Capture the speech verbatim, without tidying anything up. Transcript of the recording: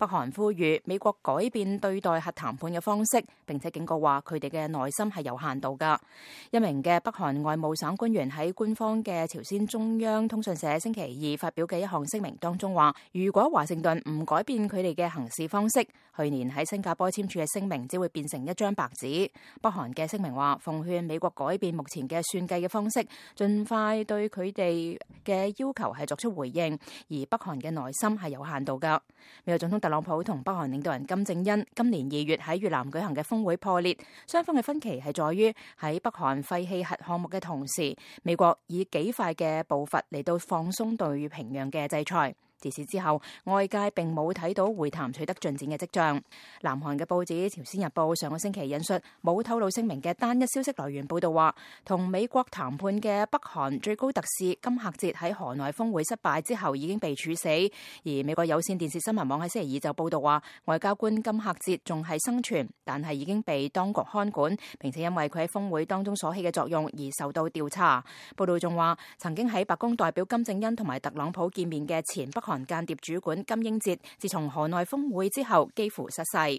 北韓呼籲美國改變對待核談判嘅方式，並且警告話佢哋嘅耐心係有限度㗎。一名嘅北韓外務省官員喺官方嘅朝鮮中央通訊社星期二發表嘅一項聲明當中話，如果華盛頓唔改變佢哋嘅行事方式，去年喺新加坡簽署嘅聲明只會變成一張白紙。北韓嘅聲明話，奉勸美國改變目前嘅算計嘅方式，盡快對佢哋嘅要求係作出回應，而北韓嘅耐心係有限度㗎。美國總統特朗普同北韓領導人金正恩今年二月喺越南舉行嘅峰會破裂，雙方嘅分歧係在於喺北韓廢棄核項目嘅同時，美國以幾快嘅步伐嚟到放鬆對平壤嘅制裁。自此之後，外界並冇睇到會談取得進展嘅跡象。南韓嘅報紙《朝鮮日報》上個星期引述冇透露姓名嘅單一消息來源報道話，同美國談判嘅北韓最高特使金赫哲喺河內峰會失敗之後已經被處死。而美國有線電視新聞網喺星期二就報道話，外交官金赫哲仲係生存，但係已經被當局看管，並且因為佢喺峰會當中所起嘅作用而受到調查。報道仲話，曾經喺白宮代表金正恩同埋特朗普見面嘅前北韓間諜主管金英哲，自從河內峰會之後幾乎失勢。